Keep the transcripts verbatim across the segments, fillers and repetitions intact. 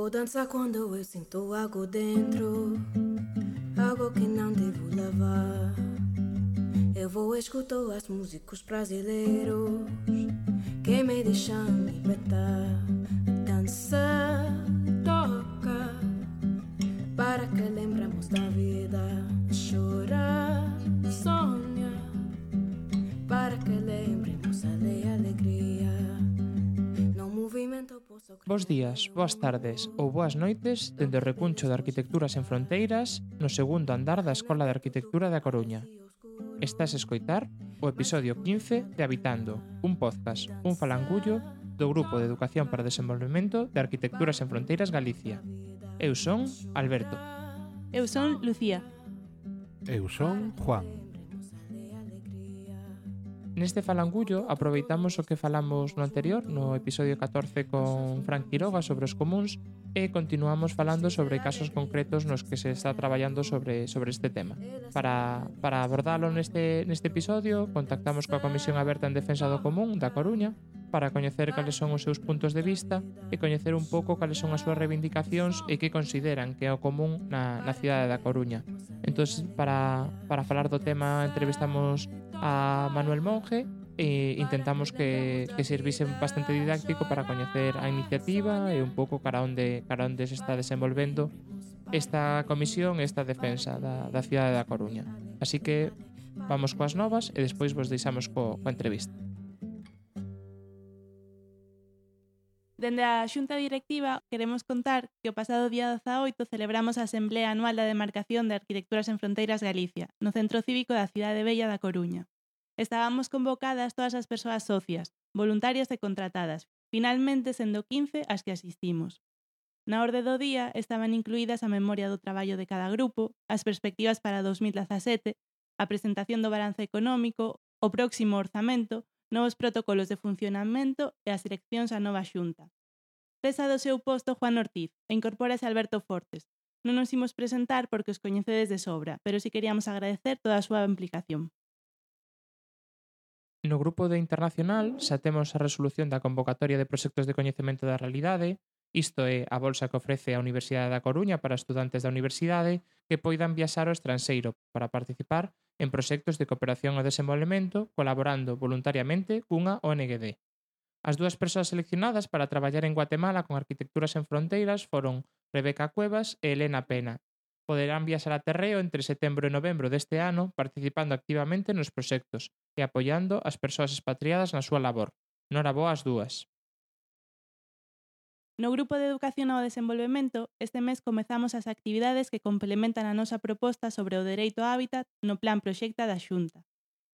Vou dançar quando eu sinto algo dentro, algo que não devo levar. Eu vou escutar as músicas brasileiros que me deixam libertar. Dança, toca, para que lembremos da vida. Chora, sonha, para que lembremos a alegria. No movimento posso... Bos días, boas tardes ou boas noites dende o recuncho de Arquitecturas Sen Fronteiras no segundo andar da Escola de Arquitectura da Coruña. Estás a escoitar o episodio quince de Habitando, un podcast, un falangullo do Grupo de Educación para o Desenvolvemento de Arquitecturas Sen Fronteiras Galicia. Eu son Alberto. Eu son Lucía. Eu son Juan. Neste falangullo aproveitamos o que falamos no anterior, no episodio catorce con Fran Quiroga sobre os comúns, e continuamos falando sobre casos concretos nos que se está traballando sobre, sobre este tema. Para, para abordalo neste, neste episodio, contactamos coa Comisión Aberta en Defensa do Común da Coruña para coñecer cales son os seus puntos de vista e coñecer un pouco cales son as súas reivindicacións e que consideran que é o común na, na cidade da Coruña. Entón, para, para falar do tema, entrevistamos a Manuel Monge e intentamos que, que servise bastante didáctico para coñecer a iniciativa e un pouco cara onde, cara onde se está desenvolvendo esta comisión e esta defensa da, da cidade da Coruña. Así que vamos coas novas e despois vos deixamos co, coa entrevista. Dende a Xunta Directiva queremos contar que o pasado día dezaoito celebramos a Asemblea Anual da Demarcación de Arquitecturas Sen Fronteiras Galicia, no Centro Cívico da Cidade Bella da Coruña. Estábamos convocadas todas as persoas socias, voluntarias e contratadas, finalmente sendo quince as que asistimos. Na orde do día estaban incluídas a memoria do traballo de cada grupo, as perspectivas para dos mil dezasete, a presentación do balance económico, o próximo orzamento, novos protocolos de funcionamento e as eleccións á nova xunta. Cesa do seu posto Juan Ortiz e incorpórase Alberto Fortes. Non nos imos presentar porque os coñecedes de sobra, pero si queríamos agradecer toda a súa implicación. No grupo de internacional xa temos a resolución da convocatoria de proxectos de coñecemento da realidade, isto é a bolsa que ofrece a Universidade da Coruña para estudantes da universidade que poidan viaxar ao estranxeiro para participar en proxectos de cooperación ao desenvolvemento colaborando voluntariamente cunha O N G D. As dúas persoas seleccionadas para traballar en Guatemala con Arquitecturas Sen Fronteiras foron Rebeca Cuevas e Elena Pena. Poderán viaxar a terreo entre setembro e novembro deste ano participando activamente nos proxectos e apoiando as persoas expatriadas na súa labor. Noraboa as dúas. No Grupo de Educación ao Desenvolvemento, este mes comezamos as actividades que complementan a nosa proposta sobre o dereito ao hábitat no Plan Proxecta da Xunta.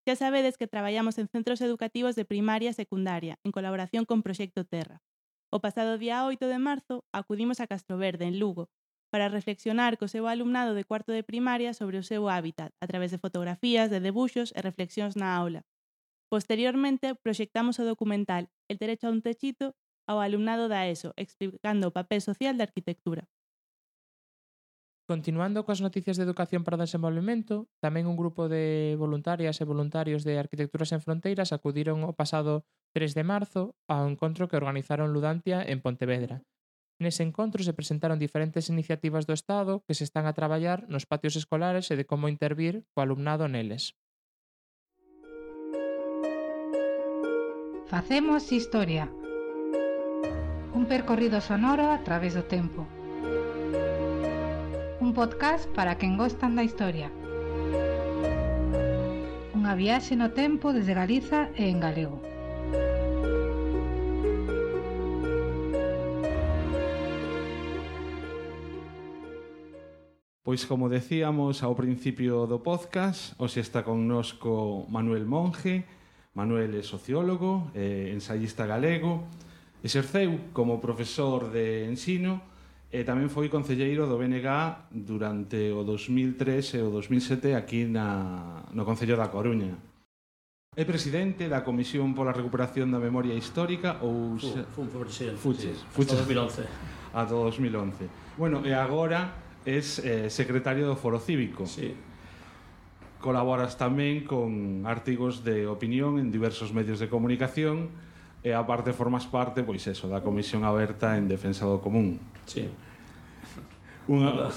Xa sabedes que traballamos en centros educativos de primaria e secundaria, en colaboración con Proxecto Terra. O pasado día oito de marzo acudimos a Castroverde, en Lugo, para reflexionar co seu alumnado de cuarto de primaria sobre o seu hábitat, a través de fotografías, de debuxos e reflexións na aula. Posteriormente, proxectamos o documental El derecho a un techito ao alumnado da ESO, explicando o papel social da arquitectura. Continuando coas noticias de Educación para o Desenvolvemento, tamén un grupo de voluntarias e voluntarios de Arquitecturas Sen Fronteiras acudiron o pasado tres de marzo ao encontro que organizaron Ludantia en Pontevedra. Nese encontro se presentaron diferentes iniciativas do Estado que se están a traballar nos patios escolares e de como intervir co alumnado neles. Facemos historia. Un percorrido sonoro a través do tempo. Un podcast para quen gostan da historia. Unha viaxe no tempo desde Galiza e en galego. Pois como decíamos ao principio do podcast, hoxe está connosco Manuel Monge. Manuel é sociólogo, é ensayista galego, exerceu como profesor de ensino e tamén foi concelleiro do B N G durante o dos mil tres e o dos mil sete aquí na, no Concello da Coruña. É presidente da Comisión pola Recuperación da Memoria Histórica ou... Fun, fun presidente, Fuches, sí, fuches, ata dos mil once. Ata dos mil once. Bueno, e agora és eh, secretario do Foro Cívico. Sí. Colaboras tamén con artigos de opinión en diversos medios de comunicación e aparte formas parte, pois eso, da Comisión Aberta en Defensa do Común. Sí. Unha,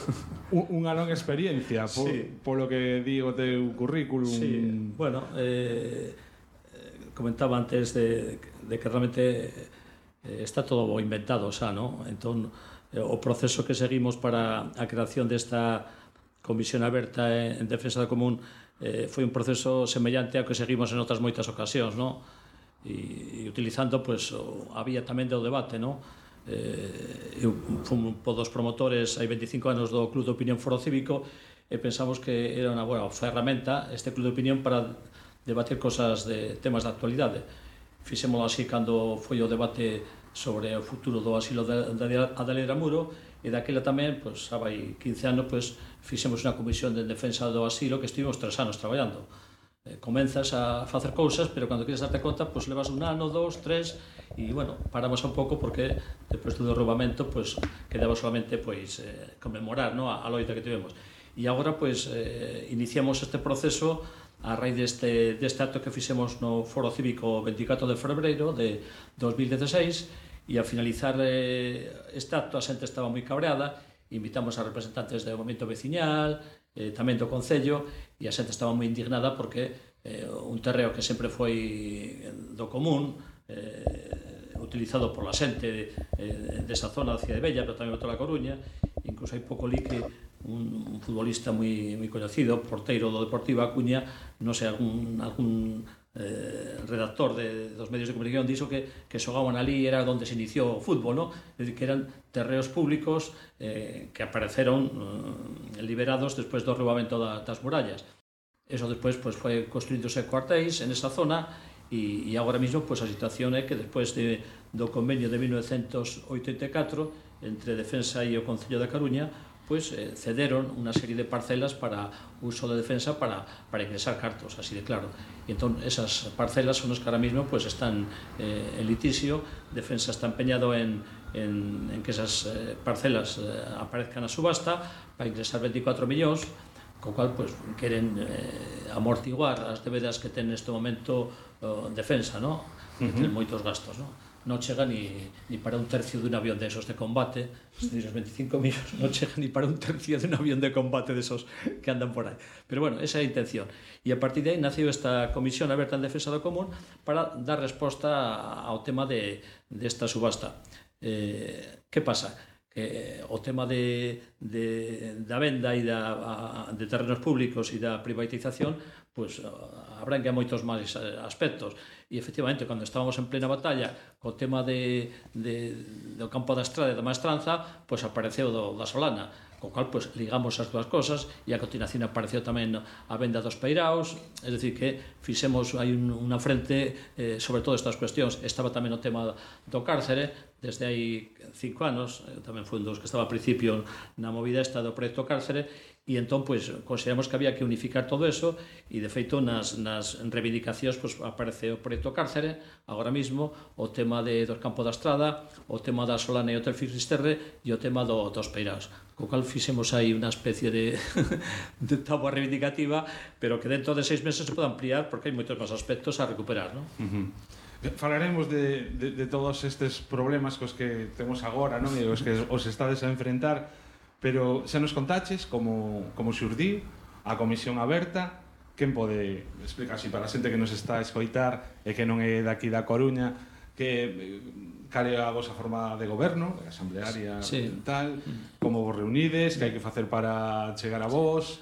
unha longa experiencia, por, sí. polo que di o teu currículum. Sí, bueno, eh, comentaba antes de, de que realmente eh, está todo inventado xa, ¿no? Entón, eh, o proceso que seguimos para a creación desta Comisión Aberta en Defensa do Común eh, foi un proceso semellante ao que seguimos en outras moitas ocasións, ¿no? E, e utilizando, pues, o, a vía tamén do debate, ¿no? Eh, eu fui un dos promotores hai veinticinco anos do Club de Opinión Foro Cívico e pensamos que era unha boa ferramenta este Club de Opinión para debatir cosas de temas de actualidade. Fixémolo así cando foi o debate sobre o futuro do asilo da Adelaida Muro e daquela tamén, pois, xa vai quince anos, pois, fixemos unha comisión de defensa do asilo que estivemos tres anos traballando. Eh, comenzas a facer cousas, pero cando queres darte conta, pois levas un ano, dos, tres, e, bueno, paramos un pouco porque depois do derrubamento, pois, quedaba solamente, pois, eh, conmemorar, no, a, a loita que tivemos. E agora, pois, eh, iniciamos este proceso a raíz deste, deste acto que fixemos no Foro Cívico veinticuatro de febreiro de dos mil dieciséis, e ao finalizar eh, este acto a xente estaba moi cabreada, invitamos a representantes do movimento veciñal, eh, tamén do Concello, e a xente estaba moi indignada porque eh, un terreo que sempre foi do común, eh, utilizado por la xente eh, desa zona da Cidade Bella, pero tamén de toda a Coruña, incluso hai pouco li que un, un futbolista moi, moi coñecido, porteiro do Deportivo A Coruña, non sei, algún, algún eh, redactor de, dos medios de comunicación dixo que, que xogaban ali era onde se iniciou o fútbol, no? É dicir, que eran terreos públicos eh, que apareceron eh, liberados despois do derrubamento da, das murallas. Eso despois, pues, foi construíndose cuartéis en esa zona e, e agora mesmo, pues, a situación é que despois de, do convenio de mil novecientos oitenta e catro entre Defensa e o Concello da Coruña, pues, eh, cederon unha serie de parcelas para uso de defensa para, para ingresar cartos, así de claro. E entón, esas parcelas son as que ahora mismo, pues, están eh, en litisio. Defensa está empeñado en, en, en que esas eh, parcelas eh, aparezcan a subasta para ingresar veinticuatro millóns, co cual, pues, queren eh, amortiguar as debedas que ten neste momento eh, Defensa, no? Que ten moitos gastos, no? Non chega ni, ni para un tercio dun avión de esos de combate, os veinticinco millóns non chega ni para un tercio dun avión de combate de esos que andan por aí. Pero bueno, esa é a intención. E a partir de aí nació esta Comisión Aberta en Defensa do Común para dar resposta ao tema de, desta subasta. Eh, que pasa? Que o tema de, de, da venda e da, a, de terrenos públicos e da privatización, pues, abrangue a moitos máis aspectos. E, efectivamente, cando estábamos en plena batalla co tema de, de, do campo da Estrada e da Maestranza, pues, apareceu do, da Solana, co cual, pues, ligamos as dúas cosas e a continuación apareceu tamén a venda dos peiraos, é dicir que fixemos aí un, unha frente eh, sobre todas estas cuestións. Estaba tamén o tema do cárcere, desde hai cinco anos, tamén foi un dos que estaba a principio na movida esta do proxecto cárcere, e entón, pois, consideramos que había que unificar todo eso, e de feito nas, nas reivindicacións, pois, aparece o proxecto cárcere agora mismo, o tema de, do campo da Estrada, o tema da Solana e Hotel Finisterre e o tema do, dos peiraos, co cal fixemos aí unha especie de, de táboa reivindicativa, pero que dentro de seis meses se pode ampliar porque hai moitos máis aspectos a recuperar, non? Uh-huh. Falaremos de, de, de todos estes problemas cos que temos agora, non? E os que os estades a enfrentar, pero xa nos contaches como, como xurdiu a Comisión Aberta. Quen pode explicar así para a xente que nos está a escoitar e que non é daqui da Coruña, que cal é a vosa forma de goberno, asamblearia, sí, tal, como vos reunides, que hai que facer para chegar a vos?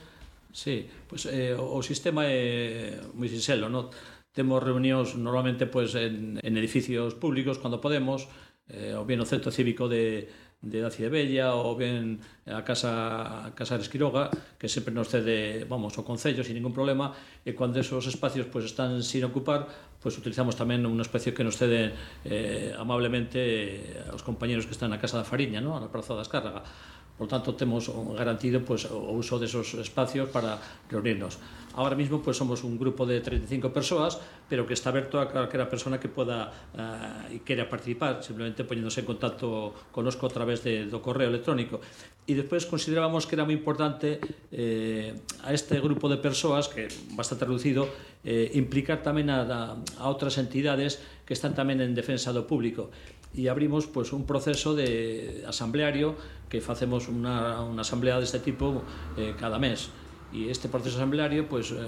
Sí, pois, pues, eh, o sistema é moi sinxelo, non? Temos reunións normalmente, pues, en, en edificios públicos cando podemos, eh, ou bien o Centro Cívico de, de da Cidade Bella, ou bien a Casa, a Casa de Esquiroga, que sempre nos cede, vamos, o Concello sin ningún problema, e cando esos espacios, pues, están sin ocupar, pues, utilizamos tamén unha especie que nos cede eh, amablemente aos compañeros que están na Casa da Fariña, ¿no? Na Praza da Escárraga. Por lo tanto, temos garantido pues, o uso desos espacios para reunirnos. Ahora mismo pues, somos un grupo de treinta y cinco persoas, pero que está aberto a calquera persona que poda uh, e queira participar, simplemente poñéndose en contacto conosco a través de, do correo electrónico. E despois considerábamos que era moi importante eh, a este grupo de persoas, que é bastante reducido, eh, implicar tamén a, a, a outras entidades que están tamén en defensa do público. E abrimos pues, un proceso de asambleario que facemos unha, unha asamblea deste tipo eh, cada mes. E este proceso asambleario pues, eh,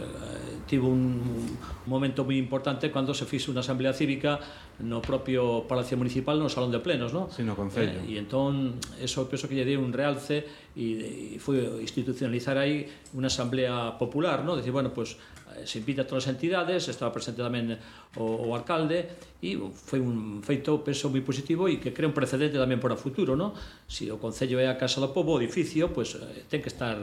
tivo un, un momento moi importante cando se fixe unha asamblea cívica no propio Palacio Municipal, no Salón de Plenos, ¿no? Sí, no Concello. Eh, e entón, eso penso que lle deu un realce e, e foi institucionalizar aí unha asamblea popular, ¿no? Decir, bueno, pues, se invita a todas as entidades, estaba presente tamén o, o alcalde e foi un feito, penso, moi positivo e que crea un precedente tamén para o futuro, ¿no? Se o Concello é a Casa do Pobo, o edificio, pues, eh, ten que estar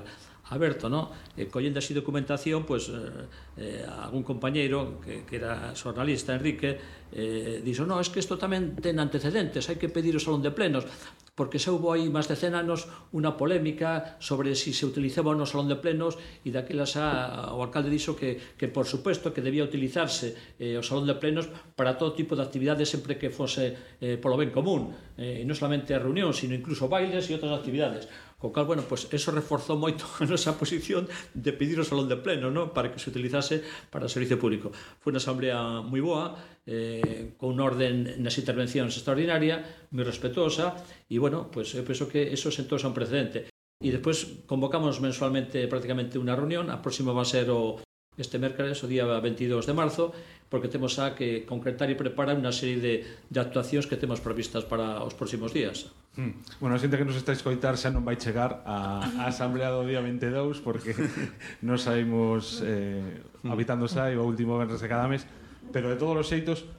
aberto, ¿no? Eh, collendo así documentación, pues, eh, algún compañeiro que, que era xornalista, Enrique, eh, dixo, no, es que isto tamén ten antecedentes, hai que pedir o Salón de Plenos, porque se houve aí máis de cen anos unha polémica sobre si se utilizaba no Salón de Plenos e daquelas a, o alcalde dixo que, que por suposto que debía utilizarse eh, o Salón de Plenos para todo tipo de actividades sempre que fose eh, polo ben común, eh, e non solamente a reunión, sino incluso bailes e outras actividades. Co cal, bueno, pues eso reforzou moito a nosa posición de pedir o Salón de Pleno, ¿no? Para que se utilizase para o servicio público. Foi unha asamblea moi boa, eh, con un orden nas intervencións extraordinaria, moi respetuosa, e, bueno, pues eu penso que eso sentou un precedente. E despois convocamos mensualmente prácticamente unha reunión, a próxima va a ser o este mércores, o día veintidós de marzo, porque temos a que concretar e preparar unha serie de, de actuacións que temos previstas para os próximos días. Mm. Bueno, a xente que nos está a escoitar xa non vai chegar a, a asamblea do día veintidós, porque nos saímos eh, habitando xa e o último venres de cada mes, pero de todos os xeitos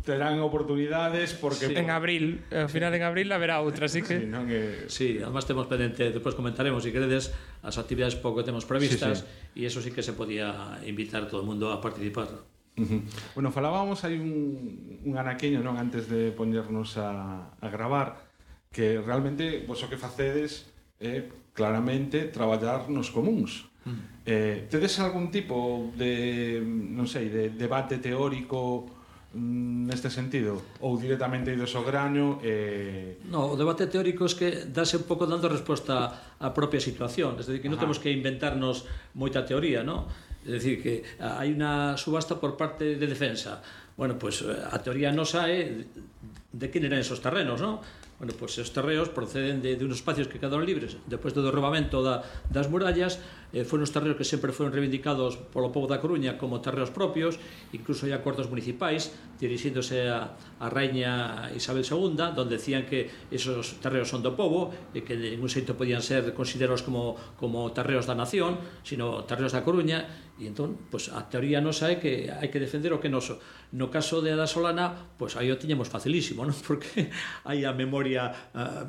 terán oportunidades porque... Sí. En abril, ao final en abril haberá outra, así que... Sí, non que... Sí, además temos pendente, despois comentaremos, se queredes, as actividades pouco que temos previstas, e sí, sí. Eso sí que se podía invitar todo o mundo a participar. Uh-huh. Bueno, falábamos hai un, un anaqueño, non, antes de poñernos a, a gravar, que realmente vos o que facedes é claramente traballar nos comuns. Uh-huh. Eh, tedes algún tipo de, non sei, de debate teórico neste sentido, ou directamente ides ao grano? Eh... No, o debate teórico é que dáse un pouco dando resposta á propia situación, es decir, que non temos que inventarnos moita teoría, ¿no? É dicir, que hai unha subasta por parte de defensa. Bueno, pois pues, a teoría nosa é de quen eran esos terrenos, ¿no? Bueno, pois pues, os terreos proceden de, de unos espacios que quedaron libres despois do derrubamento da, das murallas. Eh, foron os terreos que sempre foron reivindicados polo pobo da Coruña como terreos propios, incluso hai acordos municipais dirixíndose a, a Raíña Isabel segunda, donde decían que esos terreos son do pobo e que de ningún xeito podían ser considerados como, como terreos da nación, sino terreos da Coruña. E entón, pues, a teoría nosa é que hai que defender o que noso. No caso de Ada Solana, pues, aí o tiñamos facilísimo, non? Porque hai a memoria uh,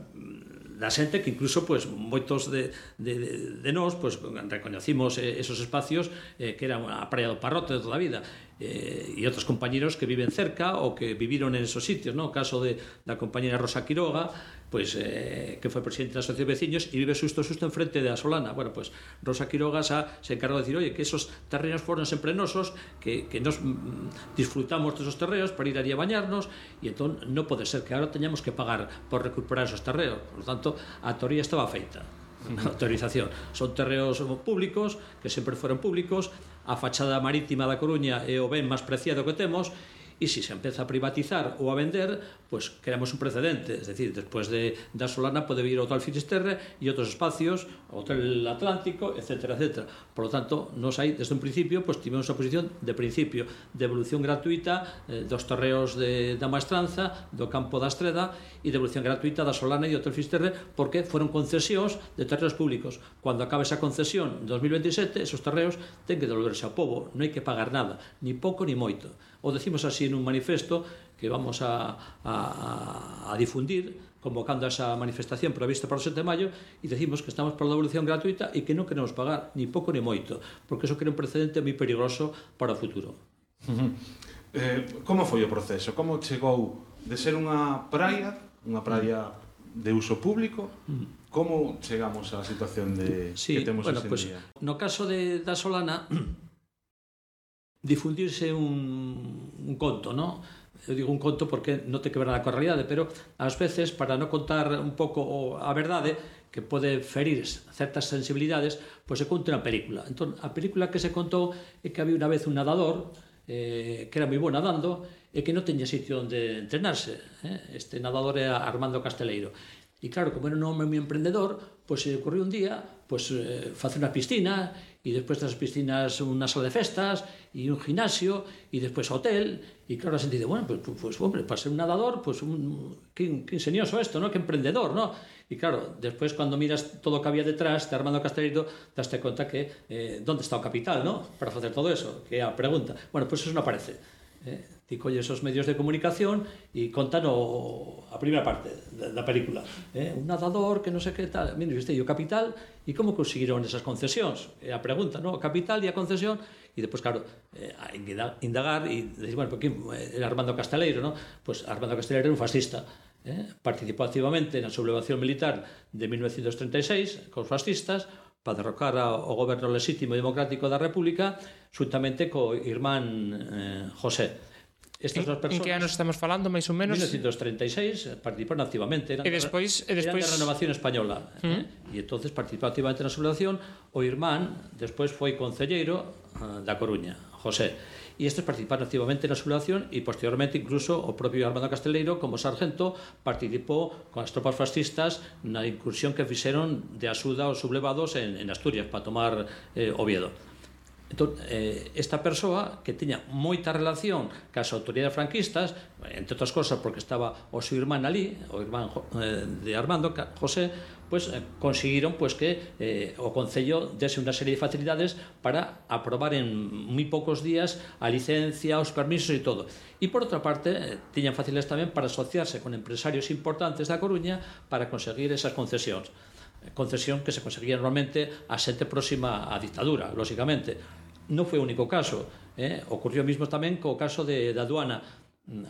da xente que incluso pues, moitos de, de, de, de nós pues, recoñecimos esos espacios eh, que era a praia do Parrote de toda a vida, eh, e outros compañeros que viven cerca ou que viviron en esos sitios, ¿no? O caso de, da compañera Rosa Quiroga, pues, eh, que foi presidente da Asociación de Veciños e vive xusto xusto enfrente de a Solana. Bueno, pues Rosa Quiroga xa se encargou de decir, oye, que esos terrenos foron sempre nosos, que, que nos mm, disfrutamos desos terreos para ir allí a bañarnos, e entón non pode ser que agora teñamos que pagar por recuperar esos terreos. Por lo tanto, a teoría estaba feita, a autorización. Son terreos públicos, que sempre foron públicos, a fachada marítima da Coruña é o ben máis preciado que temos, e se se empeza a privatizar ou a vender, pues creamos un precedente, es decir, despois de da Solana pode vir o Hotel Finisterre e outros espacios, o Hotel Atlántico, etcétera, etcétera. Por lo tanto, nos hai, desde un principio, pues tivemos a posición de principio de evolución gratuita eh, dos terreos de, da Maestranza, do Campo da Estreda, e de evolución gratuita da Solana e do Hotel Finisterre, porque foron concesións de terreos públicos. Cando acabe esa concesión en dos mil veintisiete, esos terreos ten que devolverse ao pobo, non hai que pagar nada, ni pouco ni moito. O decimos así en un manifesto que vamos a, a, a difundir, convocando a esa manifestación prevista para o sete de maio, e decimos que estamos por a devolución gratuita e que non queremos pagar ni pouco ni moito, porque eso crea un precedente moi perigoso para o futuro. Uh-huh. Eh, como foi o proceso? Como chegou de ser unha praia, unha praia de uso público. Como chegamos á situación de sí, que temos bueno, hoxe en pues, día? No caso de, da Solana, difundirse un, un conto, ¿no? Eu digo un conto porque non te quebra coa realidade, pero ás veces, para non contar un pouco a verdade, que pode ferir certas sensibilidades, pois se conta unha película. Entón, a película que se contou é que había unha vez un nadador eh, que era moi bo nadando e que non teña sitio onde entrenarse. Eh? Este nadador era Armando Casteleiro. E claro, como era un home moi emprendedor, pois se ocurriu un día pois, eh, facer unha piscina, e despois das piscinas unha sala de festas, e un gimnasio, e despois hotel, e claro, a xente dice, bueno, pois, pois, hombre, para ser un nadador, pois, un, que, que ingenioso isto, ¿no? Que emprendedor, ¿no? E claro, despois, cando miras todo o que había detrás de Armando Casteleiro, daste conta que, eh, onde está o capital, ¿no? Para facer todo eso, que é a pregunta. Bueno, pois eso non aparece. Eh? Ti colles os medios de comunicación e contan o, a primeira parte da, da película, eh? Un nadador que non sei que tal, mira, viste, e o capital, e como conseguiron esas concesións? É a pregunta, non? O capital e a concesión, e depois, claro, eh, a indagar e decir, bueno, porque era Armando Casteleiro, non? Pois Armando Casteleiro era un fascista, eh? Participou activamente na sublevación militar de mil novecientos treinta e seis cos fascistas para derrocar ao goberno lexítimo e democrático da República, xuntamente co irmán eh, José. Estas en, personas, en que anos estamos falando, máis ou menos? mil novecientos treinta e seis, participaron activamente. Eran, e despois, e despois... eran de Renovación Española. Uh -huh. eh? E entonces participou activamente na sublevación. O irmán despois foi concelleiro uh, da Coruña, José. E estes participaron activamente na sublevación e posteriormente incluso o propio Armando Casteleiro como sargento participou con as tropas fascistas na incursión que fixeron de axuda aos sublevados en, en Asturias para tomar eh, Oviedo. Entón, eh, esta persoa que tiña moita relación cas autoridades franquistas, entre outras cosas porque estaba o seu irmán ali, o irmán eh, de Armando, José, pues, eh, conseguiron pues, que eh, o Concello dese unha serie de facilidades para aprobar en moi poucos días a licencia, os permisos e todo. E por outra parte, eh, tiñan facilidades tamén para asociarse con empresarios importantes da Coruña para conseguir esas concesións. Concesión que se conseguía normalmente a xente próxima á dictadura, lóxicamente. Non foi o único caso, eh? Ocurrió mismo tamén co caso de, de Aduana.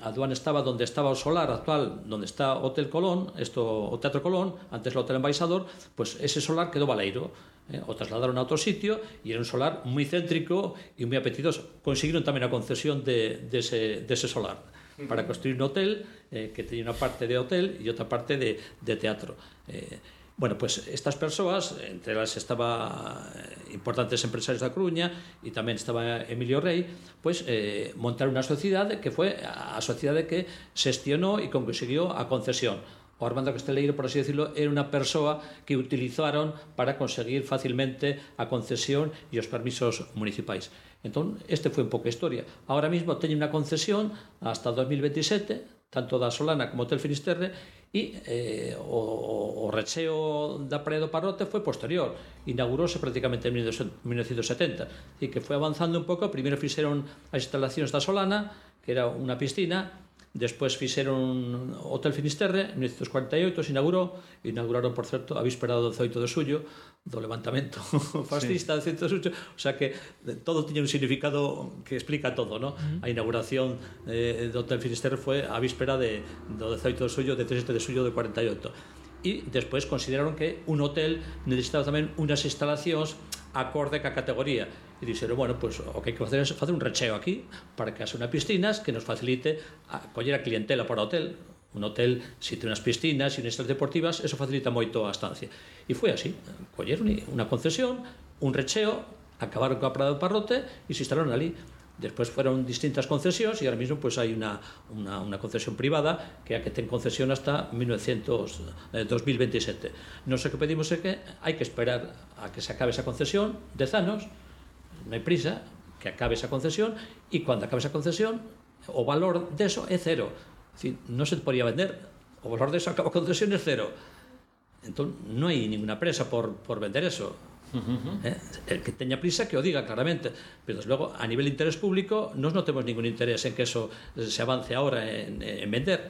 A Aduana estaba donde estaba o solar actual, donde está o Hotel Colón, esto, o Teatro Colón, antes o Hotel Embaixador, pues ese solar quedou baleiro. Eh? O trasladaron a outro sitio e era un solar moi céntrico e moi apetitoso. Conseguiron tamén a concesión de, de, ese, de ese solar para construir un hotel eh, que teña unha parte de hotel e outra parte de, de teatro. Eh, Bueno, pues estas persoas, entre elas estaba importantes empresarios da Coruña e tamén estaba Emilio Rey, pues eh, montaron unha sociedade que foi a sociedade que xestionou e conseguiu a concesión. O Armando Casteleiro, por así decirlo, era unha persoa que utilizaron para conseguir facilmente a concesión e os permisos municipais. Entón, este foi un pouco a historia. Ahora mismo teñen unha concesión hasta dos mil veintisiete, tanto da Solana como Hotel Finisterre, e eh, o, o recheo da Praia do Parrote foi posterior, inaugurouse prácticamente en mil novecientos setenta, e que foi avanzando un pouco. Primeiro fixeron as instalacións da Solana, que era unha piscina, despois fixeron o Hotel Finisterre, en mil novecientos cuarenta e oito se inaugurou, inauguraron, por certo, a víspera do dezoito de xullo, do levantamento fascista do dezoito de xullo, o sea que todo tiña un significado que explica todo, ¿no? Uh -huh. A inauguración eh, do Hotel Finisterre foi a víspera de, do dezoito de xullo, de dezasete de xullo de cuarenta e oito. E despois consideraron que un hotel necesitaba tamén unhas instalacións acorde ca categoría. E dixeron, bueno, pues, o que hai que facer é facer un recheo aquí para que haxe unha piscinas que nos facilite a coller a clientela para o hotel. Un hotel, se ten unhas piscinas e unhas instalacións deportivas, eso facilita moito a estancia. E foi así, colleron unha concesión, un recheo, acabaron coa Praia do Parrote e se instalaron ali. Despois fueron distintas concesións e ahora mismo pues, hai unha, unha, unha concesión privada que é a que ten concesión hasta mil novecientos, eh, dos mil veintisiete. Non sei que pedimos é que hai que esperar a que se acabe esa concesión, dez anos, non hai prisa, que acabe esa concesión, e cando acabe esa concesión o valor deso é cero. Es decir, non se podría vender, o valor deso acaba a concesión é cero. Entón, non hai ninguna presa por, por vender eso. Uh-huh. eh? El que teña prisa que o diga claramente, pero desde logo a nivel de interés público nós non temos ningún interés en que eso se avance ahora en, en vender.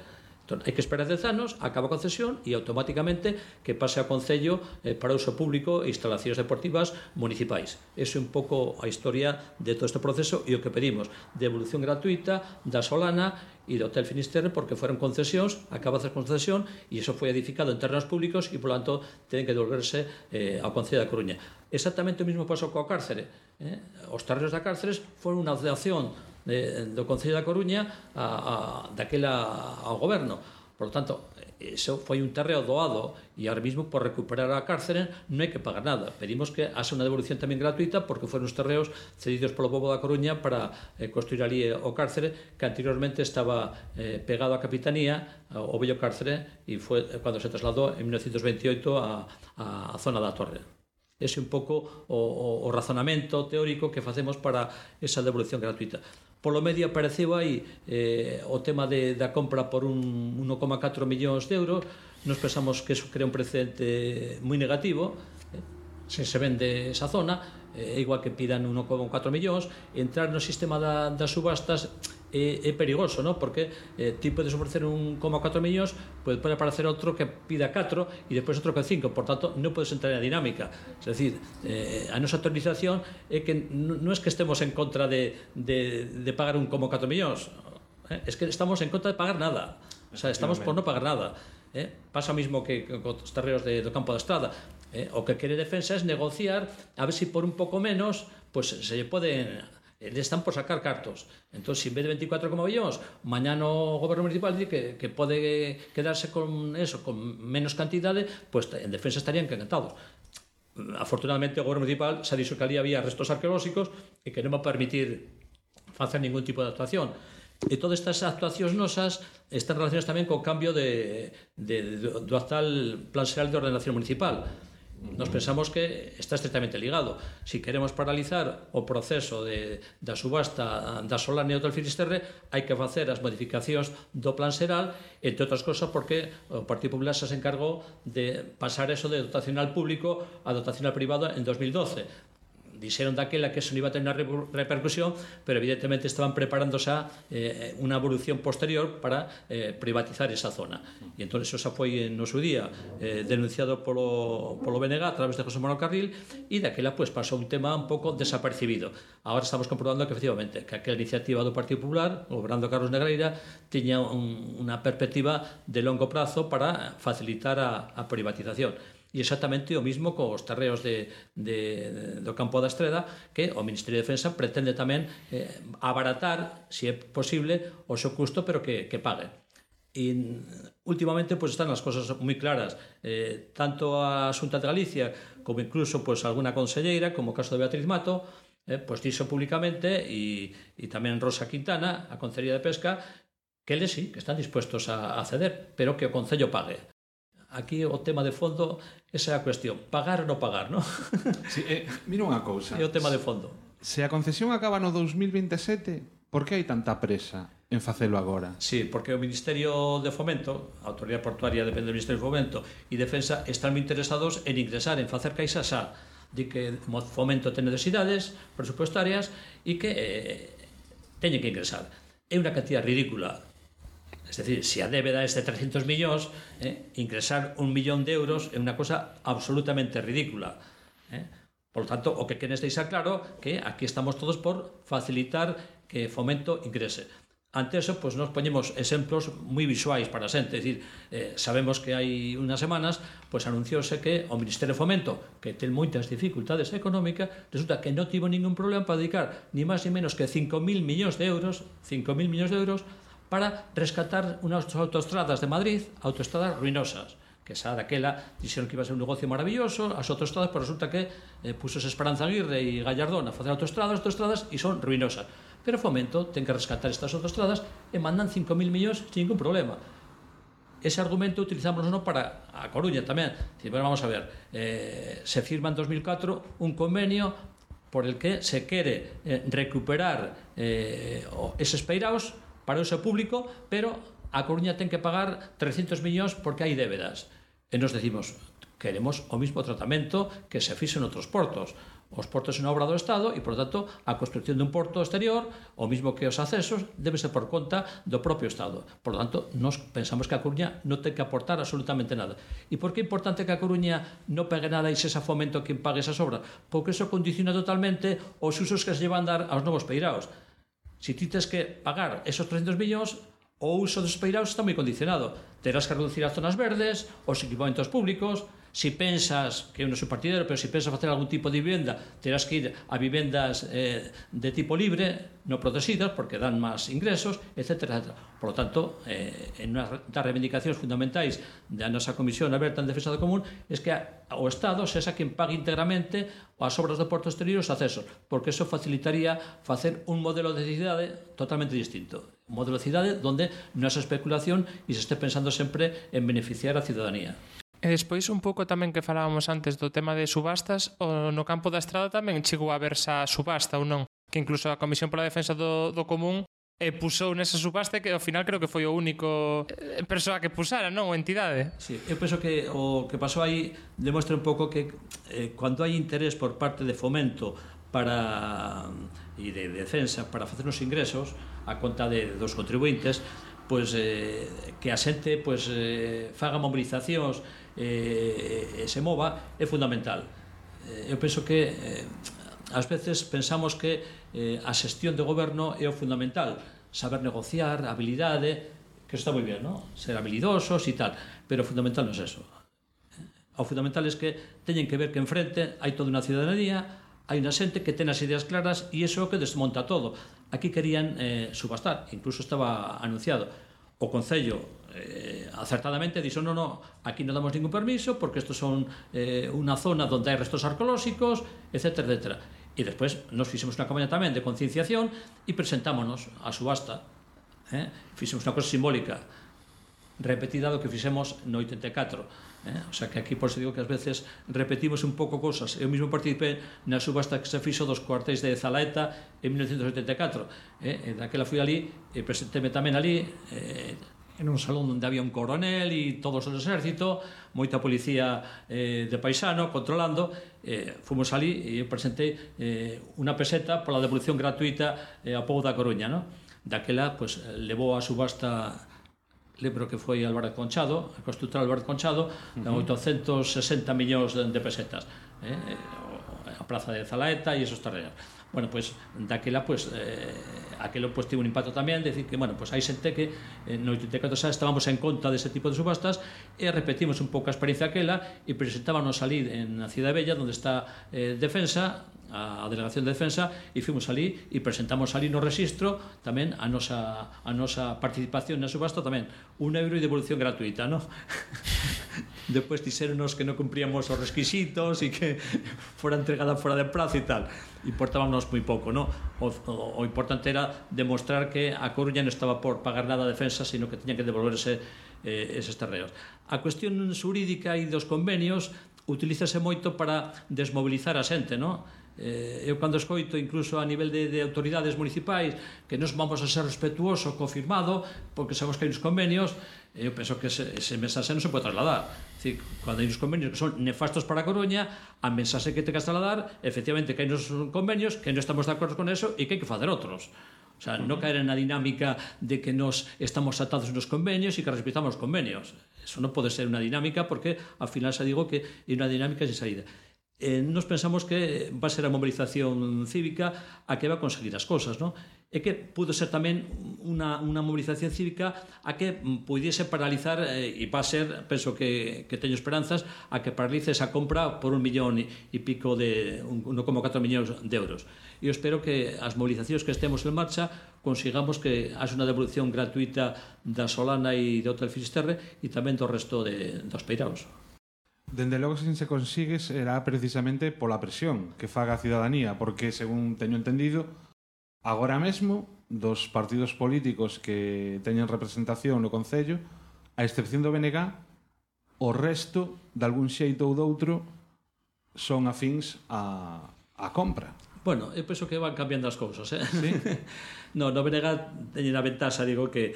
Entón, hai que esperar dez anos, acaba a concesión e automáticamente que pase ao Concello eh, para uso público e instalacións deportivas municipais. Eso é un pouco a historia de todo este proceso e o que pedimos, devolución gratuita da Solana e do Hotel Finisterre, porque foron concesións, acaba a concesión e iso foi edificado en terrenos públicos e, por lo tanto, ten que devolverse eh, ao Concello da Coruña. Exactamente o mesmo pasou coa cárcere. Eh? Os terrenos da cárceres foron unha donación de, do Concello da Coruña a, a, daquela ao goberno. Por lo tanto, iso foi un terreo doado e ahora mismo por recuperar a cárcere non hai que pagar nada. Pedimos que haxa unha devolución tamén gratuita porque foron os terreos cedidos polo pobo da Coruña para eh, construir ali o cárcere que anteriormente estaba eh, pegado á capitanía, ao vello cárcere, e foi cando se trasladou en mil novecientos veintioito a, a, a zona da Torre. Ese é un pouco o, o, o razonamento teórico que facemos para esa devolución gratuita. Polo medio apareceu aí eh, o tema de, da compra por un uno coma catro millóns de euros. Nos pensamos que eso crea un precedente moi negativo. Eh, se se vende esa zona, eh, igual que pidan uno coma catro millóns, entrar no sistema da, das subastas é, é perigoso, ¿no? Porque eh, ti podes ofrecer un uno coma catro millóns, pode aparecer outro que pida catro e depois outro que cinco, por tanto non podes entrar na dinámica. Es decir, eh, a nosa autorización é que non é que estemos en contra de, de, de pagar un uno coma catro millóns, eh? Es que estamos en contra de pagar nada, o sea, estamos por non pagar nada. Eh? Pasa o mismo que con os terreos de, do campo da Estrada. Eh? O que quere Defensa é negociar a ver se si por un pouco menos pues, se lle poden... le están por sacar cartos. Entón, se en vez de veinticuatro coma millóns, mañana o goberno municipal dice que, que pode quedarse con eso, con menos cantidade, pues en Defensa estarían encantados. Afortunadamente, o goberno municipal se ha dixo que ali había restos arqueolóxicos e que non va a permitir facer ningún tipo de actuación. E todas estas actuacións nosas están relacionadas tamén co cambio de, de, de, do actual Plan Xeral de Ordenación Municipal. Nos pensamos que está estretamente ligado. Si queremos paralizar o proceso de, da subasta da Solana e do Hotel Finisterre, hai que facer as modificacións do Plan Xeral, entre outras cosas porque o Partido Popular xa se encargou de pasar eso de dotacional público a dotacional privado en dos mil doce. Dixeron daquela que eso non iba a tener unha repercusión, pero evidentemente estaban preparando xa eh, unha evolución posterior para eh, privatizar esa zona. E entón eso xa foi no seu día eh, denunciado polo, polo B N G a través de José Manuel Carril, e daquela pues, pasou un tema un pouco desapercibido. Agora estamos comprobando que efectivamente que aquela iniciativa do Partido Popular, gobernando Carlos Negreira, tiña un, unha perspectiva de longo prazo para facilitar a, a privatización. E exactamente o mismo cos terreos de, de, do campo da Estreda, que o Ministerio de Defensa pretende tamén eh, abaratar, se é posible, o seu custo, pero que, que pague. E últimamente pues, están as cosas moi claras, eh, tanto a Xunta de Galicia como incluso pues, alguna conselleira, como o caso de Beatriz Mato, eh, pues, dixo públicamente, e, e tamén Rosa Quintana, a Concellería de Pesca, que eles sí, que están dispuestos a, a ceder, pero que o Concello pague. Aquí o tema de fondo, esa é a cuestión, pagar ou non pagar, non? Sí, eh, mira unha cousa. É o tema de fondo. Se a concesión acaba no dos mil veintesete, por que hai tanta presa en facelo agora? Sí, porque o Ministerio de Fomento, a Autoridade Portuaria depende do Ministerio de Fomento, e Defensa están moi interesados en ingresar, en facer caixa xa. Di que Fomento ten necesidades presupuestarias e que eh, teñen que ingresar. É unha cantidad ridícula. Es decir, se a débeda é de trescentos millóns, eh, ingresar un millón de euros é unha cosa absolutamente ridícula. Eh? Por lo tanto, o que queres deixar claro que aquí estamos todos por facilitar que Fomento ingrese. Ante eso, pues, nos poñemos exemplos moi visuais para a xente. Es decir, eh, sabemos que hai unhas semanas pues, anunciouse que o Ministerio de Fomento, que ten moitas dificultades económicas, resulta que non tivo ningún problema para dedicar ni máis ni menos que cinco mil millóns de euros, cinco mil millóns de euros, para rescatar unhas autoestradas de Madrid, autoestradas ruinosas, que xa daquela dixeron que iba a ser un negocio maravilloso, as autoestradas, pero resulta que eh, pusos Esperanza Aguirre e Gallardón a facer autoestradas, autoestradas, e son ruinosas. Pero Fomento ten que rescatar estas autoestradas e mandan cinco mil millóns sin ningún problema. Ese argumento utilizámoslo no para a Coruña tamén. Dicir, bueno, vamos a ver, eh, se firma en dos mil catro un convenio por el que se quere eh, recuperar eh, eses peiraos para o uso público, pero a Coruña ten que pagar trescentos millóns porque hai débedas. E nos decimos, queremos o mismo tratamento que se fixo en outros portos. Os portos é unha obra do Estado e, por tanto, a construcción dun porto exterior, o mismo que os accesos, debe ser por conta do propio Estado. Por lo tanto, nos pensamos que a Coruña non ten que aportar absolutamente nada. E por que é importante que a Coruña non pegue nada e se xa fomento quen pague esas obras? Porque eso condiciona totalmente os usos que se llevan a dar aos novos peiraos. Se ti tens que pagar esos trescentos millóns, o uso dos peiraos está moi condicionado. Terás que reducir as zonas verdes, os equipamentos públicos. Si pensas, que eu non sou partidario, pero si pensas facer algún tipo de vivenda, terás que ir a vivendas eh, de tipo libre, non protegidas, porque dan máis ingresos, etcétera, etcétera. Por lo tanto, eh, en unha das reivindicacións fundamentais da nosa Comisión Aberta en Defensa do Común es que o Estado sexa quen pague íntegramente as obras do porto exterior e os accesos, porque eso facilitaría facer un modelo de cidade totalmente distinto. Un modelo de cidade onde non haxa especulación e se este pensando sempre en beneficiar a ciudadanía. E despois un pouco tamén que falábamos antes do tema de subastas, o no campo da estrada tamén chegou a verse a subasta ou non, que incluso a Comisión pola Defensa do, do Común e pusou nesa subasta que ao final creo que foi o único eh, persoa que pusara, non? O entidade. Sí, eu penso que o que pasou aí demostra un pouco que eh, cando hai interés por parte de Fomento para e de, de defensa para facer uns ingresos a conta de, dos contribuintes, pois eh, que a xente pois, eh, faga mobilizacións e eh, se mova é fundamental. Eh, eu penso que eh, ás veces pensamos que eh, a xestión de goberno é o fundamental, saber negociar, habilidade, que está moi ben, non? Ser habilidosos e tal, pero o fundamental non é eso. O fundamental é que teñen que ver que enfrente hai toda unha ciudadanía, hai unha xente que ten as ideas claras e iso é o que desmonta todo. Aquí querían eh, subastar, incluso estaba anunciado. O Concello eh, acertadamente dixo, non, non, aquí non damos ningún permiso porque isto son eh, unha zona onde hai restos arqueolóxicos, etcétera, etcétera. E despois nos fixemos unha campaña tamén de concienciación e presentámonos a subasta. Eh? Fixemos unha cosa simbólica repetida do que fixemos no oitenta e catro. Eh? O sea que aquí por eso digo que ás veces repetimos un pouco cosas. Eu mesmo participei na subasta que se fixo dos cuartéis de Zalaeta en mil novecientos oitenta e catro. Eh? E daquela fui ali e presentéme tamén ali eh, en un salón onde había un coronel e todos os exército, moita policía eh, de paisano controlando. Eh, fomos ali e eu presentei eh, unha peseta pola devolución gratuita eh, ao pobo da Coruña, no? Daquela pues, levou a subasta, lembro que foi Álvarez Conchado, a constructora Álvarez Conchado, uh -huh. oitocentos sesenta millóns de, de pesetas, eh? a praza de Zalaeta e esos terrenos. Bueno, pois, pues, daquela, pois, pues, eh, aquelo pues, tivo un impacto tamén, decir que, bueno, pues, hai xente que eh, no oitenta e catro xa estábamos en conta dese tipo de subastas e repetimos un pouco a experiencia aquela e presentábamos ali en a Cidade Bella, onde está eh, Defensa, a Delegación de Defensa, e fomos ali e presentamos ali no registro tamén a nosa, a nosa participación na subasta tamén, un euro e devolución gratuita, non? Despois dixéronos que non cumpríamos os requisitos e que fora entregada fora de prazo e tal. Importábamos moi pouco, non? O, o, o importante era demostrar que a Coruña non estaba por pagar nada a Defensa, sino que teñan que devolverse eh, eses terreos. A cuestión xurídica e dos convenios utilízase moito para desmobilizar a xente, non? Eh, eu cando escoito incluso a nivel de, de autoridades municipais que nos vamos a ser respetuoso, confirmado, porque sabemos que hai uns convenios, eu penso que ese, ese mensaxe non se pode trasladar. É dicir, cando hai uns convenios que son nefastos para a Coruña, a mensaxe que te que trasladar, efectivamente, que hai uns convenios que non estamos de acordo con eso e que hai que facer outros. O sea, non caer na dinámica de que nos estamos atados nos convenios e que respetamos os convenios. Eso non pode ser unha dinámica porque, ao final, xa digo que é unha dinámica sin saída. Eh, nos pensamos que va a ser a movilización cívica a que va a conseguir as cosas, non? E que pudo ser tamén unha, unha movilización cívica a que pudiese paralizar eh, e va a ser, penso que, que teño esperanzas, a que paralice esa compra por un millón e pico de uno coma catro millóns de euros. E eu espero que as movilizacións que estemos en marcha consigamos que haxa unha devolución gratuita da Solana e do Hotel Finisterre e tamén do resto de, dos peiraos. Dende logo, se se consigue será precisamente pola presión que faga a ciudadanía, porque, según teño entendido, agora mesmo, dos partidos políticos que teñen representación no Concello, a excepción do B N G, o resto, de algún xeito ou doutro, son afíns a, a compra. Bueno, eu penso que van cambiando as cousas, eh? Sí? No, no Venega teñen a ventaxa, digo, que